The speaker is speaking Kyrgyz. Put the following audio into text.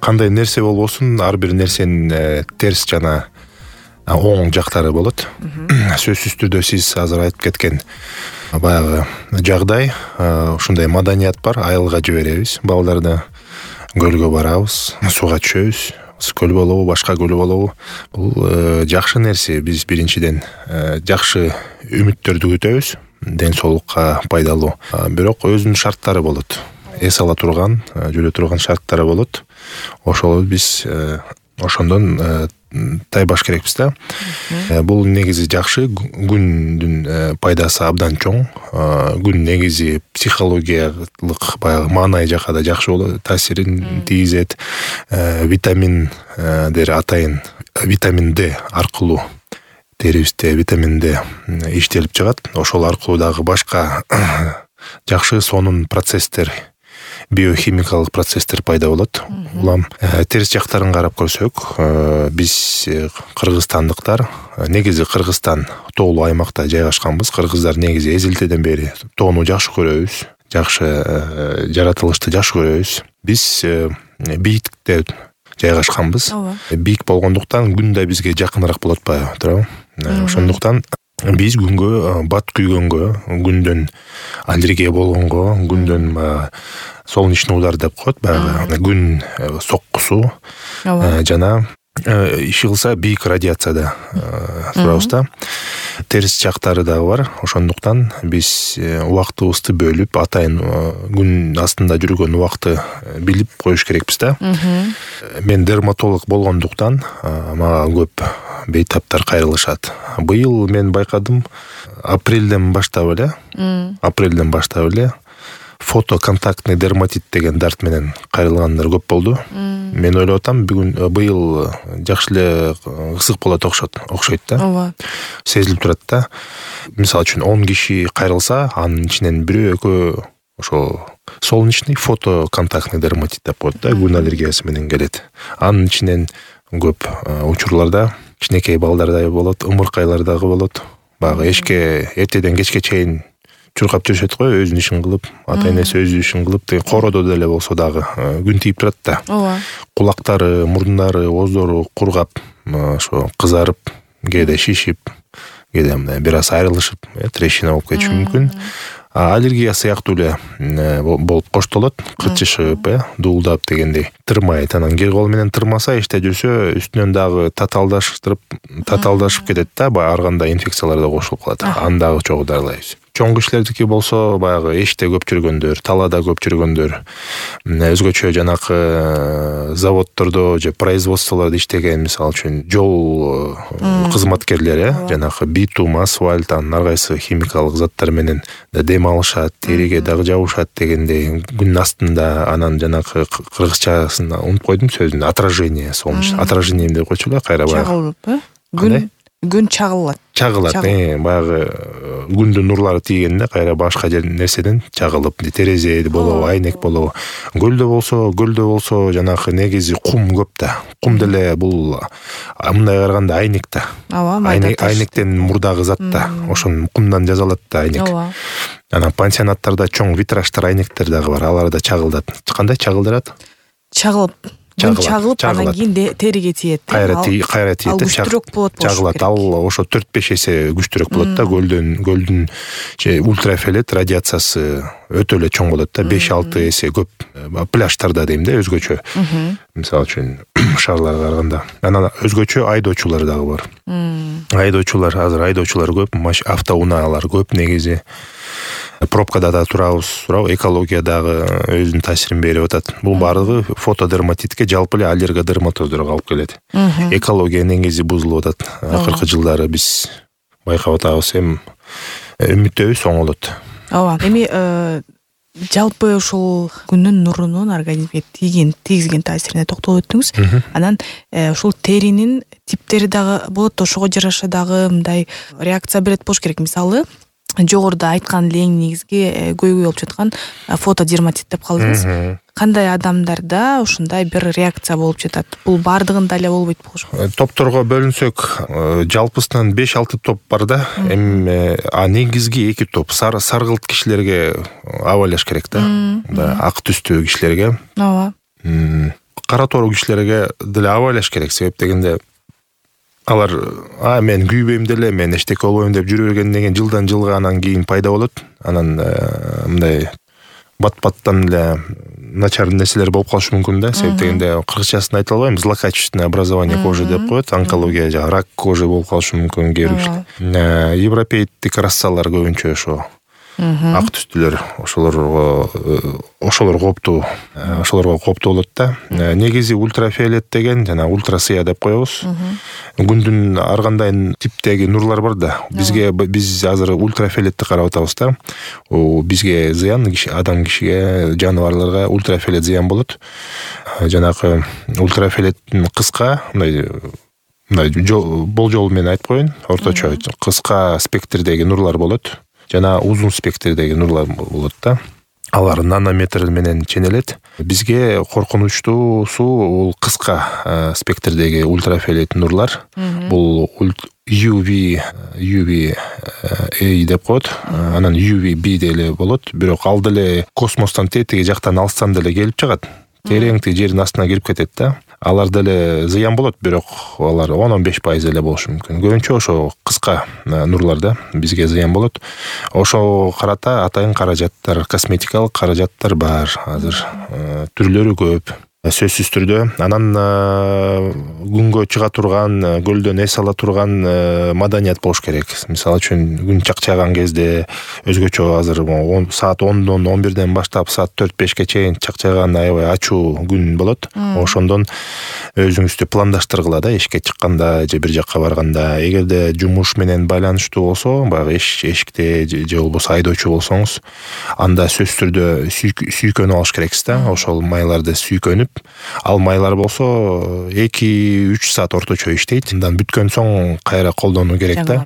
кандай нерсе болбосун ар бир нерсенин терс жана оң жактары болот. Сөзсүз түрдө сиз азыр айтып кеткен баягы жагдай, ушундай маданият бар. Айылга жиберебиз балдарды, көлгө барабыз, сууга түшөбүз. Көл болобу, башка көл болобу, бул жакшы нерсе. Биз биринчиден жакшы үмүттөрдү күтөбүз, ден соолукка пайдалуу. Бирок өзүнүн шарттары болот. Эс ала турган, жүрө турган шарттары болот. Ошол биз ошондон тайбаш керекпиз да. Бул негизи жакшы, күндүн пайдасы абдан чоң. Күн негизи психологиялык баягы маанай жакка да жакшы болот, таасирин тийгизет. Витаминдер атайын витамин D аркылуу терибизде витамин D иштелип чыгат. Ошол аркылуу дагы башка жакшы сонун процесстер, биохимикалык процесстер пайда болот. Улам терс жактарын карап көрсөк, биз кыргызстандыктар, негизи Кыргызстан тоолуу аймакта жайгашканбыз. Кыргыздар негизи эзелтеден бери тоону жакшы көрөбүз, жакшы жаратылышты жакшы көрөбүз. Биз бийиктикте жайгашканбыз. Бийик болгондуктан күн да бизге жакыныраак болот атпайбы, туурабы? Ошондуктан биз күнгө бат күйгөнгө, күндөн аллергия болгонго, күндөн солнечный удар деп коет, баягы күн соккусу жана иши кылса бийик радиацияда турабыз да. Терс жактары дагы бар. Ошондуктан биз убактыбызды бөлүп, атайын күн астында жүргөн убакты билип коюш керекпиз да. Мен дерматолог болгондуктан мага көп бейтаптар кайрылышат. Быйыл мен байкадым, апрелден баштап эле фотоконтактный дерматит деген дарт менен кайрылгандар көп болду. Мен ойлоп атам, быйыл жакшы эле ысык болот окшойт да. Сезилип турат да. Мисалы үчүн 10 киши кайрылса, анын ичинен бирөө экөө ошо солнечный фотоконтактный дерматит деп коет да, күн аллергиясы менен келет. Анын ичинен көп учурларда кичинекей балдарда болот, ымыркайлар дагы болот. Баягы эшикке эртеден кечке чейин чуркап жүрүшөт го, өзүнүн ишин кылып, ата-энеси өзүнүн ишин кылып, коородо деле болсо дагы күн тийип турат да. Кулактары, мурдундары, ооздору кургап, ошо кызарып, кээде шишип, кээде мындай бир аз айрылышып, трещина болуп кетиши мүмкүн. Аллергия сыяктуу эле болуп коштолот, кычышып, дуулдап дегендей, тырмайт. Анан кир кол менен тырмаса, иште жүрсө, үстүнөн дагы татаалдашып кетет да, ар кандай инфекциялар да кошулуп калат. Аны дагы чогуу дарылайбыз. Чоң кишилердики болсо, баягы эшикте көп жүргөндөр, талаада көп жүргөндөр, өзгөчө жанакы заводдордо же производстволордо иштеген, мисалы үчүн жол кызматкерлери, жанакы битум, асфальт, ар кайсы химикалык заттар менен дем алышат, териге дагы жабышат дегендей, күн астында, анан жанакы кыргызчасын унутуп койдум сөзүн, отражение, солнечный отражение деп койчу эле, кайра баягы. Чагылып, күн чагылат. Баягы күндүн нурлары тийгенде кайра башка нерседен чагылып, терезе болобу, айнек болобу. Көлдө болсо жанакы негизи кум көп да. Кум деле бул мындай караганда айнек да. Айнектен мурдагы зат да. Ошон кумдан жасалат да айнек. Анан пансионаттарда чоң витраждар, айнектер дагы бар. Алар да чагылдат. Кандай чагылдырат? Чагылып, анан кийин териге тиет. Кайра тиет, күчтүрөөк болот. Чагылат. Ал ошо 4-5 эсе күчтүрөөк болот да. Көлдүн ультрафиолет радиациясы өтө эле чоң болот да, 5-6 эсе көп. Пляждарда дейм да, өзгөчө. Мисалы үчүн шаарларга караганда. Анан өзгөчө айдоочулар дагы бар. Азыр айдоочулар көп, автоунаалар көп негизи. Пробкада да турабыз, экология дагы өзүнүн таасирин берип атат. Бул баардыгы фотодерматитке, жалпы эле аллергодерматоздорго алып келет. Экология негизи бузулуп атат. Акыркы жылдары биз байкап атабыз, эми үмүттөбүз оңолот. Эми жалпы ушул күндүн нурунун организмге тийгизген таасирине токтолуп өттүңүз. Анан ушул теринин типтери дагы болот, ошого жараша дагы мындай реакция берет болуш керек. Мисалы, жогоруда айткан эле эң негизги көйгөй болуп жаткан фотодерматит деп калдыңыз. Кандай адамдарда ушундай бир реакция болуп жатат? Бул баардыгында эле болбойт болуш. Топторго бөлүнсөк, жалпысынан 5-6 топ бар да. Эми негизги 2 топ саргылт кишилерге абайлаш керек да. Ак түстүү кишилерге. кара тоору кишилерге деле абайлаш керек. Себеп дегенде алар мен күйбөйм деле, мен эчтеке болбойм деп жүрө бергенден кийин жылдан жылга анан кийин пайда болот. Анан мындай бат-баттан эле начар нерселер болуп калышы мүмкүн да. Себеп дегенде кыргызчасын айта албайм, злокачественное образование кожи деп коет, онкология жана рак кожи болуп калышы мүмкүн кээ бир. Европейдик рассалар көбүнчө ошо ак түстүлөр, ошолор кооптуу болот да. Негизи ультрафиолет деген жана ультрасыя деп коебуз. Күндүн ар кандай типтеги нурлар бар да. Биз азыр ультрафиолетти карап атабыз да. Бизге зыян, адам кишиге, жаныбарларга ультрафиолет зыян болот. Жанагы ультрафиолеттин кыска, мындай болжол менен айтып коеюн, орточо кыска спектрдеги нурлар болот. Жана узун спектрдеги нурлар болот да. Алар нанометр менен ченелет. Бизге коркунучтуусу бул кыска спектрдеги ультрафиолет нурлар. Бул UVA деп коет. Анан UVB деле болот. Бирок ал деле космостон тетиги жактан алыстан деле келип чыгат. Терең жердин астына кирип кетет да. Алар деле зыян болот, бирок алар 10-15% эле болушу мүмкүн. Көбүнчө ошо кыска нурларда бизге зыян болот. Ошо карата атайын каражаттар, косметикалык каражаттар бар азыр. Түрлөрү көп. Сөзсүз түрдө анан күнгө чыга турган, көлдөн эс ала турган маданият болуш керек. Мисалы үчүн күн чакчаган кезде өзгөчө азыр саат 10-дон 11ден баштап саат 4-5ке чейин чакчаган аябай ачуу күн болот. Ошондон өзүңүздү пландаштыргыла да, эшикке чыкканда же бир жакка барганда. Эгерде жумуш менен байланыштуу болсо, баягы эшикте же болбосо айдоочу болсоңуз, анда сөзсүз түрдө сүйкөнүп алыш керексиз да. Ошол майларды сүйкөнүп, ал майлар болсо 2-3 саат орточо иштейт. Андан бүткөн соң кайра колдонуу керек да.